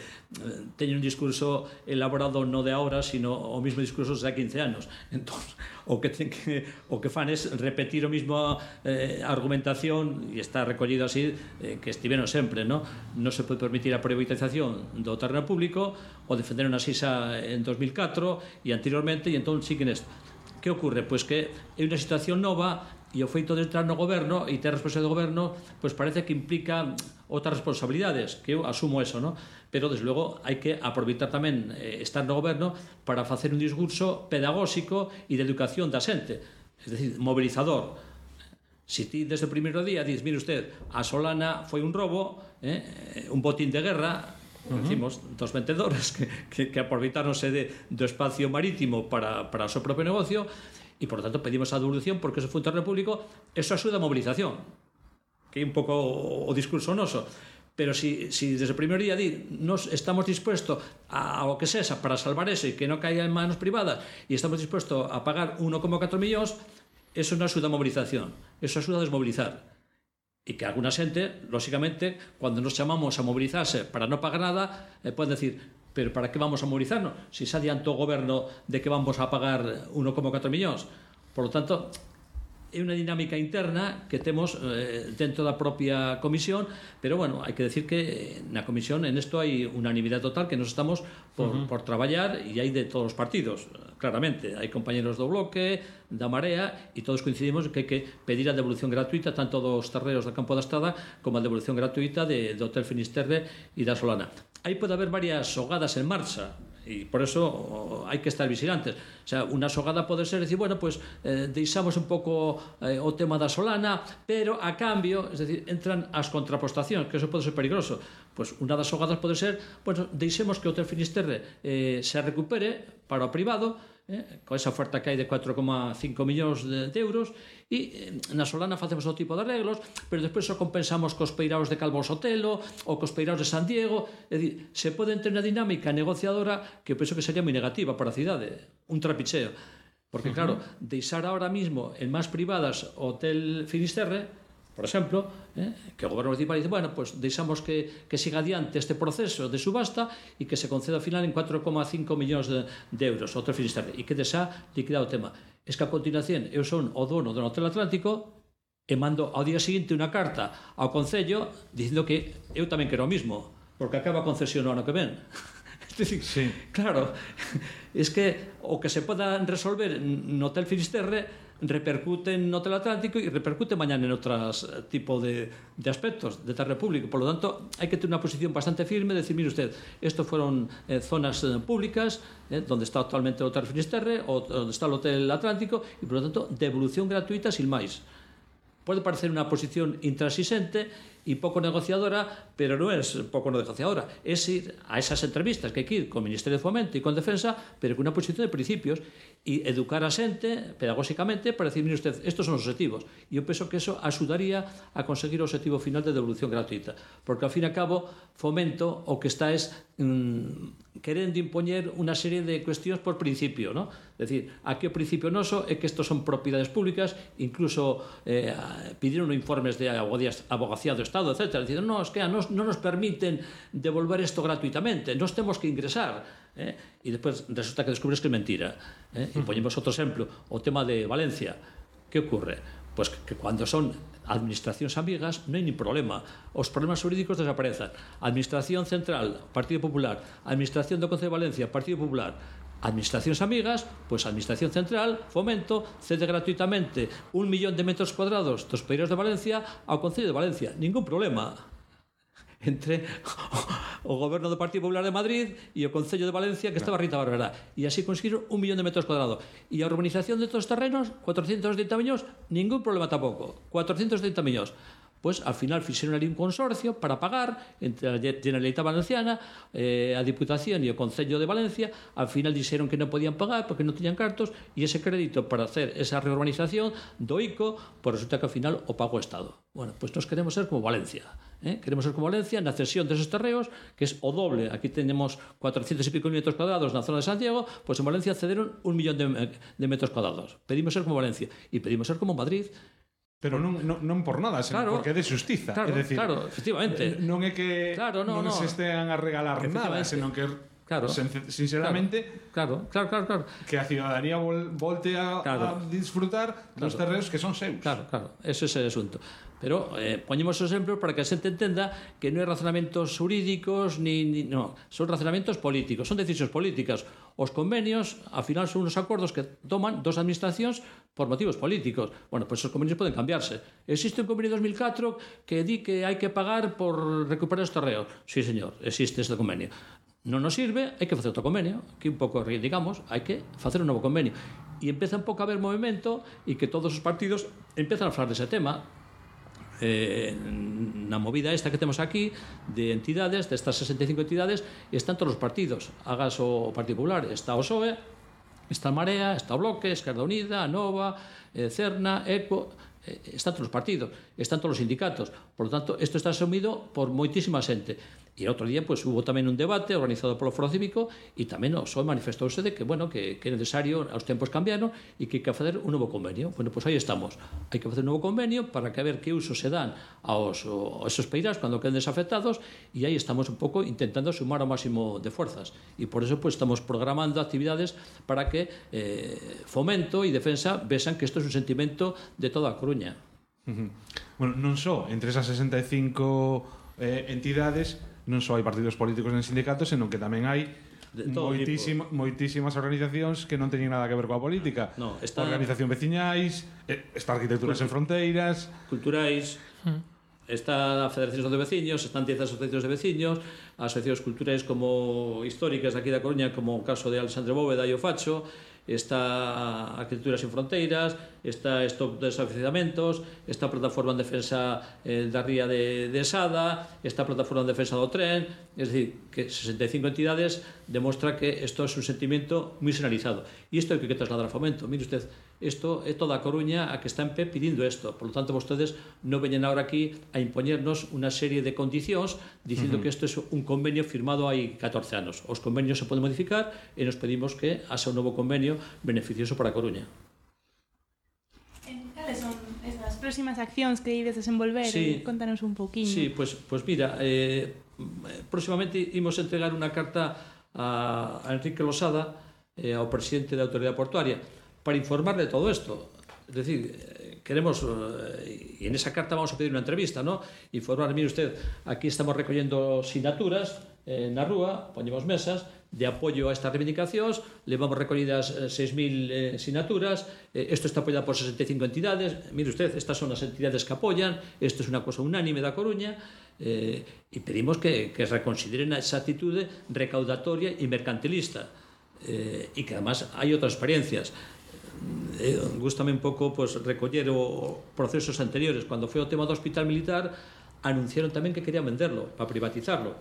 teñen un discurso elaborado no de ahora, sino o mismo discurso de quince anos. Entón, o que, ten que, o que fan es repetir o mismo eh, argumentación, e está recollido así, eh, que estiveron sempre, no? Non se pode permitir a privatización do terreno público, o defenderon a Sisa en dos mil catro e anteriormente, e entón sí que nesto. Que ocorre? Pois que é unha situación nova, e o feito de entrar no goberno e ter responsabilidade do goberno, pois parece que implica outras responsabilidades, que eu asumo eso, no? Pero, desde logo, hai que aproveitar tamén eh, estar no goberno para facer un discurso pedagóxico e de educación da xente, es decir, mobilizador. Si ti desde o primeiro día dices, mire usted, a Solana foi un robo, eh, un botín de guerra, uh -huh. decimos, dos vendedores que, que, que aproveitáronse de, do espacio marítimo para, para o seu propio negocio, e, por lo tanto, pedimos a devolución porque eso foi un terreno público, eso axuda a movilización, que é un pouco o, o discurso noso. Pero si, si desde o primeiro día di, nos estamos dispuestos a, a o que sexa para salvar eso e que non caiga en manos privadas e estamos dispuestos a pagar uno coma catro millóns, eso non axuda a movilización, eso axuda a desmovilizar. E que alguna xente, lóxicamente, cando nos chamamos a movilizarse para non pagar nada, eh, pode decir, pero para que vamos a mobilizarnos? Si se adiantou o goberno de que vamos a pagar uno coma catro millóns. Por lo tanto, é unha dinámica interna que temos eh, dentro da propia comisión, pero, bueno, hai que decir que na comisión en isto hai unanimidade total, que nos estamos por, uh -huh. por traballar, e hai de todos os partidos, claramente. Hai compañeros do Bloque, da Marea, e todos coincidimos que hai que pedir a devolución gratuita tanto dos terreos do Campo da Estrada como a devolución gratuita de, do Hotel Finisterre e da Solana. Aí pode haber varias xogadas en marcha, e por eso hai que estar vigilantes. O sea, unha xogada pode ser decir, bueno, pues eh, deixamos un pouco eh, o tema da Solana, pero a cambio, es decir, entran as contrapostacións, que eso pode ser peligroso. Pues unha das xogadas pode ser, bueno, deixemos que o Hotel Finisterre eh, se recupere para o privado, eh, con esa oferta que hai de cuatro coma cinco millóns de, de euros, e eh, na Solana facemos o tipo de arreglos, pero despois o compensamos cos peiraos de Calvo Sotelo ou cos peiraos de San Diego. É dicir, se pode entrar na dinámica negociadora que eu penso que sería moi negativa para a cidade, un trapicheo, porque, claro, deixar ahora mismo en más privadas o Hotel Finisterre, por exemplo, eh, que o goberno municipal dice, bueno, pues deixamos que, que siga adiante este proceso de subasta e que se conceda ao final en cuatro coma cinco millóns de, de euros o Hotel Finisterre, e que desá liquidado o tema. Es que a continuación eu son o dono do Hotel Atlántico e mando ao día seguinte unha carta ao Concello dicindo que eu tamén quero o mismo, porque acaba a concesión no ano que ven. Es decir, sí. Claro, es que o que se poda resolver no Hotel Finisterre repercute no Hotel Atlántico e repercute mañana en outros tipo de, de aspectos de terreno público. Por lo tanto, hai que ter unha posición bastante firme, decir, mire usted, estos fueron eh, zonas eh, públicas, eh, donde está actualmente o Hotel Finisterre, o donde está o Hotel Atlántico, e, por lo tanto, devolución gratuita sin máis. Pode parecer unha posición intransigente e pouco negociadora, pero non é pouco negociadora, é ir a esas entrevistas que hai que ir con o Ministerio de Fomento e con Defensa, pero con unha posición de principios, e educar a xente pedagóxicamente para decir, mire usted, estos son os objetivos, e eu penso que eso axudaría a conseguir o objetivo final de devolución gratuita, porque ao fin e a cabo Fomento o que está es mmm, querendo impoñer unha serie de cuestións por principio, ¿no? É dicir, aquí o principio noso é que estos son propiedades públicas, incluso eh, pidieron informes de abogacía do Estado, etcétera, dicindo, no, es que non nos permiten devolver isto gratuitamente, nos temos que ingresar, eh? E despois resulta que descubres que é mentira, eh? E poñemos outro exemplo, o tema de Valencia. Que ocurre? Pois que cando son administracións amigas non hai nin problema, os problemas jurídicos desaparezan. Administración Central, Partido Popular, Administración do Concello de Valencia, Partido Popular, administracións amigas, pois a Administración Central, Fomento, cede gratuitamente un millón de metros cuadrados dos peiros de Valencia ao Concello de Valencia. Ningún problema entre o goberno do Partido Popular de Madrid e o Concello de Valencia, que estaba Rita Barberá, e así conseguiron un millón de metros cuadrados. E a urbanización de estos terrenos, cuatrocentos trinta millóns, ningún problema tampouco, cuatrocentos trinta millóns. Pois, al final, fixeron ali un consorcio para pagar entre a Generalitat Valenciana, eh, a Diputación e o Concello de Valencia. Al final dixeron que non podían pagar porque non tiñan cartos, e ese crédito para hacer esa reurbanización do I C O, pois resulta que al final o pagou o Estado. Bueno, pois nos queremos ser como Valencia. Eh? Queremos ser como Valencia na cesión deses terreos, que é o doble. Aquí tenemos cuatrocientos e pico metros cuadrados na zona de Santiago, pois en Valencia cederon un millón de, de metros cuadrados. Pedimos ser como Valencia e pedimos ser como Madrid, Pero non, non, non por nada, senón claro, porque é de xustiza. Claro, é decir, claro, efectivamente. Non é que claro, no, non no. se estean a regalar nada, senón que claro, sinceramente claro, claro, claro, claro. que a ciudadanía vol, volte a, claro. a disfrutar dos claro. terreos que son seus. Claro, claro, ese é ese asunto. Pero eh, poñemos o exemplo para que a xente entenda que non é razonamentos xurídicos ni, ni no, son razonamentos políticos, son decisións políticas. Os convenios, ao final, son unos acordos que toman dos administracións por motivos políticos. Bueno, pois pues os convenios poden cambiarse. Existe un convenio de dos mil catro que di que hai que pagar por recuperar os terreos. Sí, señor, existe este convenio. Non nos sirve, hai que facer outro convenio. Aquí un pouco reivindicamos, hai que facer un novo convenio. E empeza un pouco a haber movimento e que todos os partidos empezan a falar dese tema. Eh, na movida esta que temos aquí de entidades, destas sesenta e cinco entidades, están todos os partidos. Hagas o Partido Popular, está o P S O E, está a Marea, está o Bloque, Esquerda Unida, a Nova, eh, Cerna, ECO, eh, están todos os partidos, están todos os sindicatos. Por lo tanto, isto está asumido por moitísima xente. E outro día, pues, hubo tamén un debate organizado polo Foro Cívico e tamén o P S O E manifestouse de que, bueno, que, que é necesario, os tempos cambiaron e que hai que facer un novo convenio. Bueno, pues aí estamos. Hai que facer un novo convenio para que a ver que uso se dan aos, aos esos peirás cando queden desafectados e aí estamos un pouco intentando sumar ao máximo de fuerzas. E por eso, pues, estamos programando actividades para que eh, Fomento e Defensa vexan que isto é un sentimento de toda a Coruña. Uh-huh. Bueno, non só entre esas sesenta e cinco eh, entidades non só hai partidos políticos en sindicatos, senón que tamén hai moitísima, moitísimas organizacións que non teñen nada que ver coa política. No, está... Organización veciñais, está Arquitecturas Cultu... en Fronteiras, culturais, hmm. está a Federación de Veciños, están diez asociacións de veciños, asociacións culturais como históricas aquí da Coruña, como o caso de Alexandre Bóveda e o Facho, está Arquitecturas en Fronteiras, está Stop Desafiamentos, está a Plataforma en Defensa eh, da Ría de, de Sada, está a Plataforma en Defensa do Tren, es decir, que sesenta e cinco entidades demostra que isto é un sentimento moi generalizado. E isto é o que hay que trasladar a Fomento. Mire usted, isto é toda a Coruña a que está en pé pidindo isto. Por lo tanto, vostedes non veñen ahora aquí a impoñernos unha serie de condicións dicindo uh-huh. que isto é un convenio firmado hai catorce anos. Os convenios se poden modificar e nos pedimos que haxa un novo convenio beneficioso para a Coruña. Cales son esas próximas accións que ides desenvolver? Sí, contanos un pouquiño. Sí, pues, pues mira, eh, próximamente imos entregar unha carta a, a Enrique Losada, eh, ao presidente da Autoridade Portuaria, para informarle de todo isto. Es decir, queremos, eh, y en esa carta vamos a pedir una entrevista, ¿no? Informar, mire usted, aquí estamos recollendo sinaturas eh, na rúa, poñemos mesas de apoio a estas reivindicacións, levamos recollidas eh, seis mil eh, sinaturas, eh, isto está apoiado por sesenta e cinco entidades, mire usted, estas son as entidades que apoyan, isto é unha cosa unánime da Coruña, eh, e pedimos que, que reconsideren esa actitude recaudatoria e mercantilista, eh, e que además hai outras experiencias. Eh, gústame un pouco pues, recoller os procesos anteriores. Cando foi o tema do hospital militar, anunciaron tamén que querían venderlo para privatizarlo,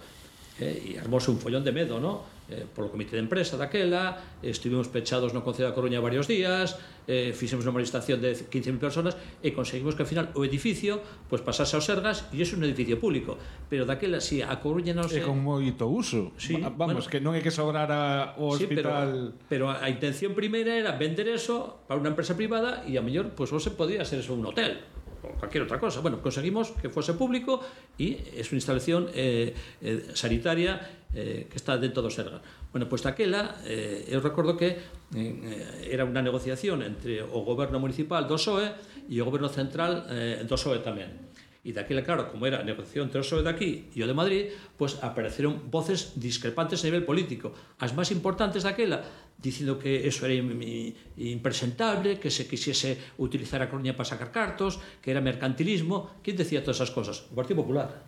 eh, e armóse un follón de medo, ¿no? Eh, polo comité de empresa daquela, eh, estuvimos pechados no Concello da Coruña varios días, eh, fixemos unha manifestación de quince mil personas e conseguimos que ao final o edificio pues, pasase aos Sergas e é un edificio público, pero daquela si a Coruña non se... É con moito uso, sí, vamos, bueno, que non é que sobrara o sí, hospital... Pero, pero a intención primeira era vender eso para unha empresa privada e a mellor pues, se podía ser eso un hotel o cualquier outra cosa. Bueno, conseguimos que fose público e é unha instalación eh, eh, sanitaria eh, que está dentro do Sergas. Bueno, pois pues, daquela, eh, eu recordo que eh, era unha negociación entre o goberno municipal do P S O E e o goberno central eh, do P S O E tamén. E daquela, claro, como era a negociación entre o P S O E de aquí e o de Madrid, pois pues, apareceron voces discrepantes a nivel político. As máis importantes daquela, dicindo que eso era impresentable, que se quisiese utilizar a Coruña para sacar cartos, que era mercantilismo. ¿Quién decía todas esas cosas? O Partido Popular.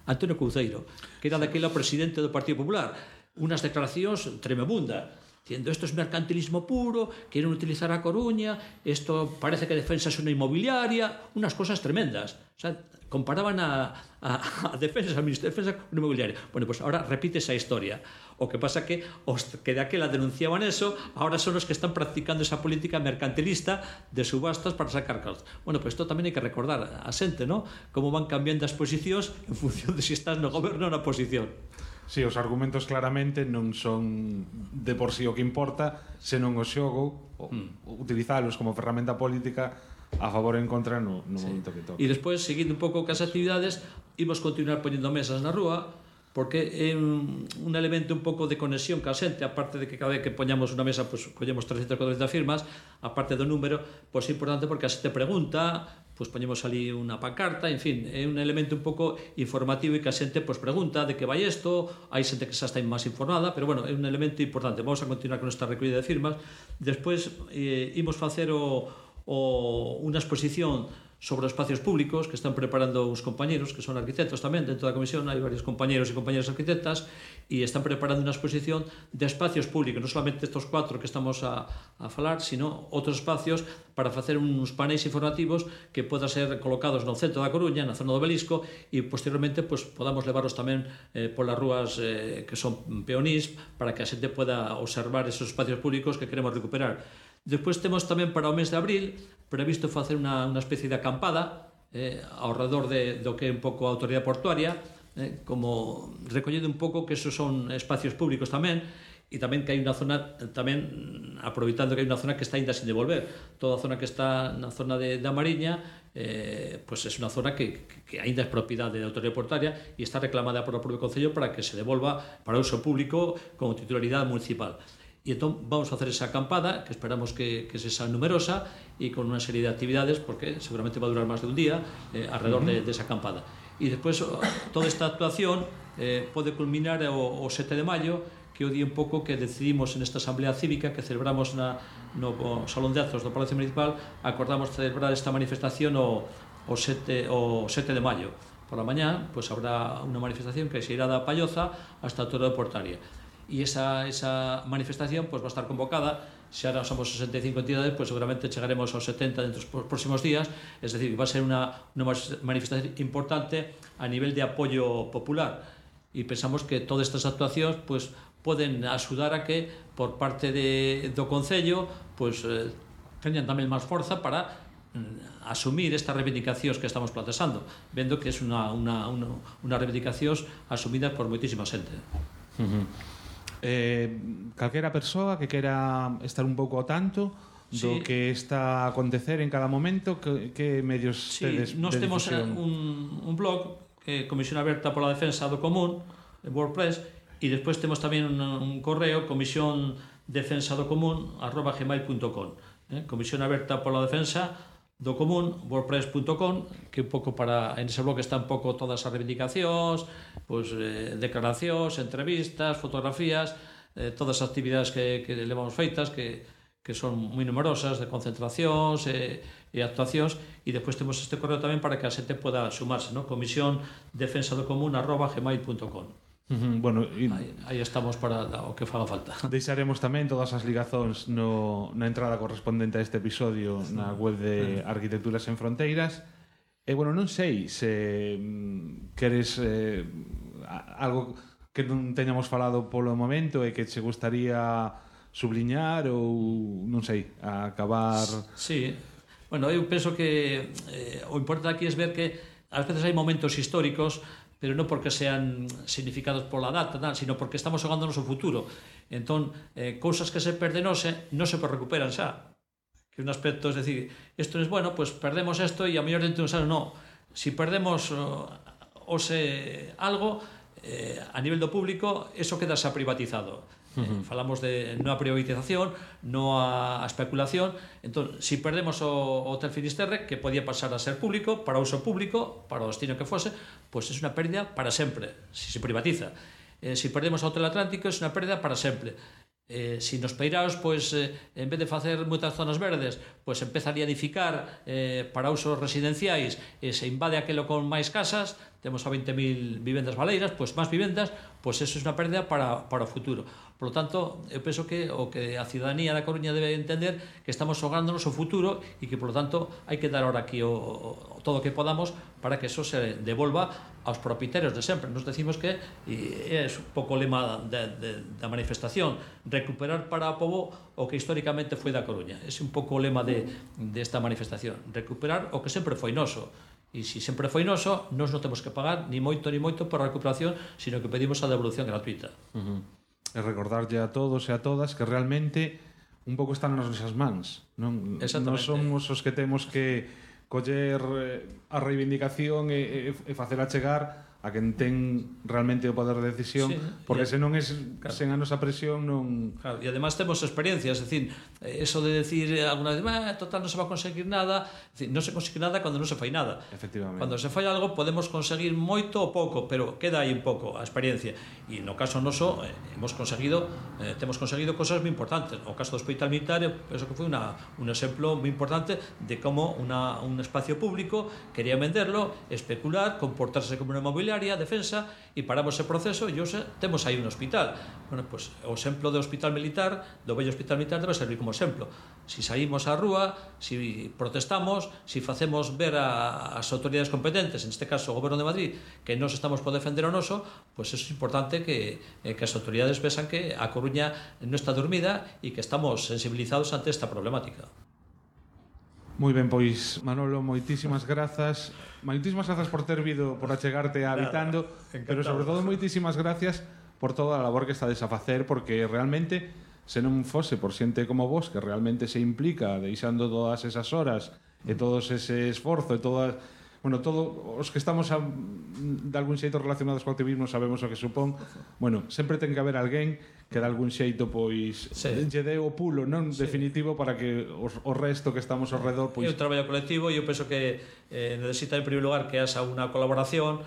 Antonio Couceiro, que era daquela presidente do Partido Popular. Unas declaracións tremebundas, diciendo esto es mercantilismo puro, quieren utilizar a Coruña, esto parece que Defensa es una inmobiliaria, unas cosas tremendas. O sea, comparaban a, a, a Defensa, a Ministerio de Defensa con una inmobiliaria. Bueno, pues ahora repite esa historia. O que pasa que os que de aquela denunciaban eso, ahora son los que están practicando esa política mercantilista de subastas para sacar cartos. Bueno, pues esto tamén hai que recordar a xente, ¿no? Como van cambiando as posicións en función de si estás no goberno ou na oposición. Si, sí, os argumentos claramente non son de por sí o que importa, senón o xogo, mm. utilizalos como ferramenta política a favor e en contra no, no sí. momento que toca. E despois, seguindo un pouco cas actividades, imos continuar poñendo mesas na rúa, porque é un, un elemento un pouco de conexión ca xente, aparte de que cada vez que poñamos unha mesa, pues, collemos trescentas, cuatrocentas firmas, aparte do número, pois é importante porque a xente pregunta, pois poñemos ali unha pancarta, en fin, é un elemento un pouco informativo e que a xente pois pregunta de que vai isto, hai xente que xa está máis informada, pero bueno, é un elemento importante. Vamos a continuar con esta recollida de firmas. Despois eh, imos facer o, o, unha exposición sobre os espacios públicos que están preparando os compañeros, que son arquitectos tamén, dentro da comisión hai varios compañeros e compañeras arquitectas e están preparando unha exposición de espacios públicos, non solamente estos cuatro que estamos a, a falar, sino outros espacios para facer uns paneis informativos que podan ser colocados no centro da Coruña, na zona do Obelisco, e posteriormente pues, podamos levarlos tamén eh, polas rúas eh, que son peonís para que a xente poda observar esos espacios públicos que queremos recuperar. Despois temos tamén para o mes de abril previsto facer unha, unha especie de acampada eh, ao redor de, do que é un pouco a autoridade portuaria, eh, como recollendo un pouco que esos son espacios públicos tamén, e tamén que hai unha zona, tamén aproveitando que hai unha zona que está ainda sin devolver. Toda a zona que está na zona de, da Mariña eh, pues é unha zona que, que, que ainda é propiedade da autoridade portuaria e está reclamada por o propio Concello para que se devolva para uso público como titularidade municipal. E entón vamos a facer esa acampada que esperamos que, que se sea numerosa e con unha serie de actividades porque seguramente va a durar máis de un día eh, alrededor uh-huh. de, de esa acampada. E despois toda esta actuación eh, pode culminar o, o sete de maio, que é o día un pouco que decidimos en esta asamblea cívica que celebramos na, no Salón de Actos do Palacio Municipal, acordamos celebrar esta manifestación o, o, sete, o sete de maio. Por la mañá pues, habrá unha manifestación que se irá da Palloza hasta a Torre da Portaria. E esa, esa manifestación pues, va a estar convocada, se ahora somos sesenta e cinco entidades, pues seguramente chegaremos aos setenta dentro dos próximos días, es decir, va a ser unha, unha manifestación importante a nivel de apoio popular e pensamos que todas estas actuacións pues, poden axudar a que por parte de, do Concello pues, eh, teñan tamén máis forza para mm, asumir estas reivindicacións que estamos plantexando, vendo que é unha, unha, unha, unha reivindicacións asumidas por moitísima xente. Uh-huh. Eh, calquera persoa que quera estar un pouco ao tanto do sí. que está a acontecer en cada momento, que, que medios sí, tedes nos de temos difusión? un, un blog que é Comisión Aberta pola Defensa do Común en WordPress, e despois temos tamén un, un correo comisión defensa do común arroba gmail punto com, eh? Comisión Aberta pola Defensa do Común, wordpress punto com, que un pouco para, en ese blog están un pouco todas as reivindicacións, pues, eh, declaracións, entrevistas, fotografías, eh, todas as actividades que, que levamos feitas, que, que son moi numerosas, de concentracións e, e actuacións, e despois temos este correo tamén para que a xente poda sumarse, ¿no? Comisión defensa do común arroba gmail punto com. Uh-huh. Bueno, y... aí, aí estamos para o que faga falta. Deixaremos tamén todas as ligazóns no, na entrada correspondente a este episodio na web de Arquitecturas en Fronteiras. E, bueno, non sei se mm, queres eh, algo que non teñamos falado polo momento e que che gustaría subliñar ou, non sei, acabar... Sí, bueno, eu penso que eh, o importante aquí é ver que ás veces hai momentos históricos, pero non porque sean significados pola data, tal, sino porque estamos xogándonos o futuro. Entón, eh, cousas que se perden hoxe non se recuperan xa. Que un aspecto, es decir, isto é bueno, pues perdemos isto e a mellor dentro de un ano non. Si perdemos uh, hoxe algo, eh, a nivel do público, eso queda xa privatizado. Uh-huh. Eh, falamos de non a privatización, non a especulación. Entón, si perdemos o Hotel Finisterre, que podía pasar a ser público, para uso público, para o destino que fose, pois pues é unha pérdida para sempre, si se privatiza. Eh, si perdemos o Hotel Atlántico, é unha pérdida para sempre. Eh, si nos peiraos, pois, eh, en vez de facer moitas zonas verdes, pois empezaría a edificar eh, para usos residenciais e se invade aquelo con máis casas, temos a veinte mil vivendas baleiras, pois máis vivendas, pois eso é unha pérdida para, para o futuro. Por lo tanto, eu penso que o que a ciudadanía da Coruña debe entender que estamos xogándonos o futuro e que, por lo tanto, hai que dar ahora aquí o, o, todo o que podamos para que eso se devolva aos propietarios de sempre. Nos decimos que, e é un pouco o lema de, de, da manifestación, recuperar para o povo o que históricamente foi da Coruña. Ese é un pouco o lema de, de esta manifestación. Recuperar o que sempre foi noso. E se sempre foi noso, nós non temos que pagar ni moito ni moito por a recuperación, sino que pedimos a devolución gratuita. Uh-huh. E recordarlle a todos e a todas que realmente un pouco está nas nosas mans, non? Non Exactamente. somos os que temos que coller eh, a reivindicación e, e, e facela chegar a quen ten realmente o poder de decisión, Sí, porque e- senón es, claro. sen a nosa presión non... Claro, e además temos experiencia, es decir, eso de decir alguna vez, ah, total, non se va a conseguir nada, es decir, non se consigue nada cando non se fai nada. Efectivamente. Cando se fai algo podemos conseguir moito ou pouco, pero queda aí un pouco a experiencia. E no caso noso, eh, hemos conseguido, eh, temos conseguido cosas moi importantes. O caso do Hospital Militar, eu penso que foi una, un exemplo moi importante de como una, un espacio público quería venderlo, especular, comportarse como una inmobiliaria, defensa, e paramos ese proceso e hoxe temos aí un hospital. Bueno, pues, o exemplo do Hospital Militar, do vello Hospital Militar, debe servir como exemplo. Si saímos á rúa, si protestamos, si facemos ver a, as autoridades competentes, en este caso o Goberno de Madrid, que nos estamos por defender o noso, pues eso é importante que, eh, que as autoridades vesan que a Coruña non está dormida e que estamos sensibilizados ante esta problemática. Moi ben, pois, Manolo, moitísimas grazas. Moitísimas grazas por ter vido, por achegarte a Habitando, Encantado. pero sobre todo moitísimas gracias por toda a labor que estades a facer, porque realmente, se non fose por xente como vos, que realmente se implica deixando todas esas horas e todo ese esforzo e todas... Bueno, todo os que estamos a, de algún xeito relacionados co activismo sabemos o que supón. Bueno, sempre ten que haber alguén que de algún xeito pois Sí. lle dé o pulo, non? Sí. Definitivo para que os, o resto que estamos ao redor É pois un traballo colectivo e eu penso que eh, necesita en primeiro lugar que haxa unha colaboración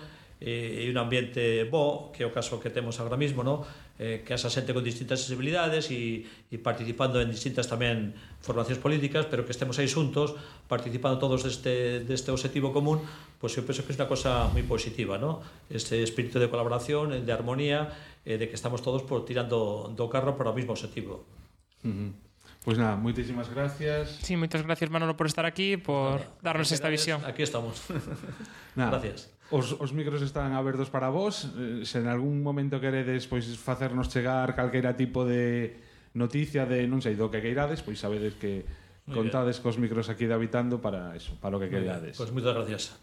e un ambiente bo, que é o caso que temos agora mismo, no? eh, que haxa xente con distintas sensibilidades e, e participando en distintas tamén formacións políticas, pero que estemos aí xuntos participando todos deste, deste objetivo común, pois eu penso que é unha cosa moi positiva, no? Este espírito de colaboración, de armonía, eh, de que estamos todos por tirando do carro para o mismo objetivo. Uh -huh. Pois nada, moitísimas gracias. Sí, moitas gracias, Manolo, por estar aquí, por darnos esta visión. Aquí estamos. Nada, Gracias. Os, os micros están abertos para vos. Eh, se en algún momento queredes pois facernos chegar calquera tipo de noticia de non sei do que queirades, pois sabedes que Muy contades cos micros aquí de Habitando para eso, para o que Muy bien. queirades. Pues muchas gracias.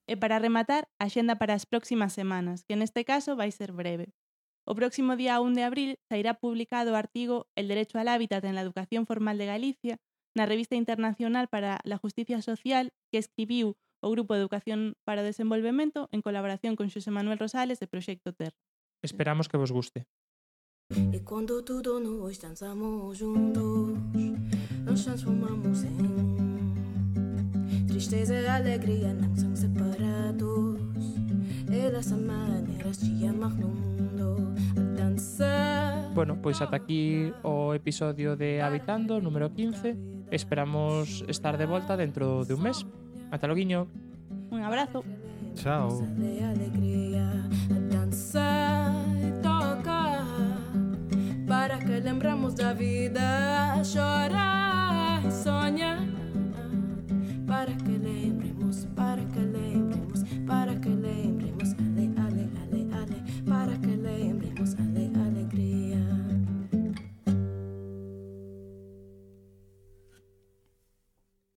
E para rematar, a xenda para as próximas semanas, que neste caso vai ser breve. O próximo día un de abril sairá publicado o artigo El derecho al hábitat en la educación formal de Galicia na Revista Internacional para la Justicia Social que escribiu o Grupo de Educación para o Desenvolvemento en colaboración con Xosé Manuel Rosales de Proxecto Terra. Esperamos que vos guste. E quando tudo nós dançamos juntos, nos transformamos em tristeza e alegria, não são separados. É dessa maneira de amar no mundo, a dançar. Bueno, pois ata aquí o episodio de Habitando, número quince. Esperamos estar de volta dentro de un mes. Ata loguiño. Un abrazo. Chao. De alegria, a dançar e tocar, para que lembramos da vida, chorar.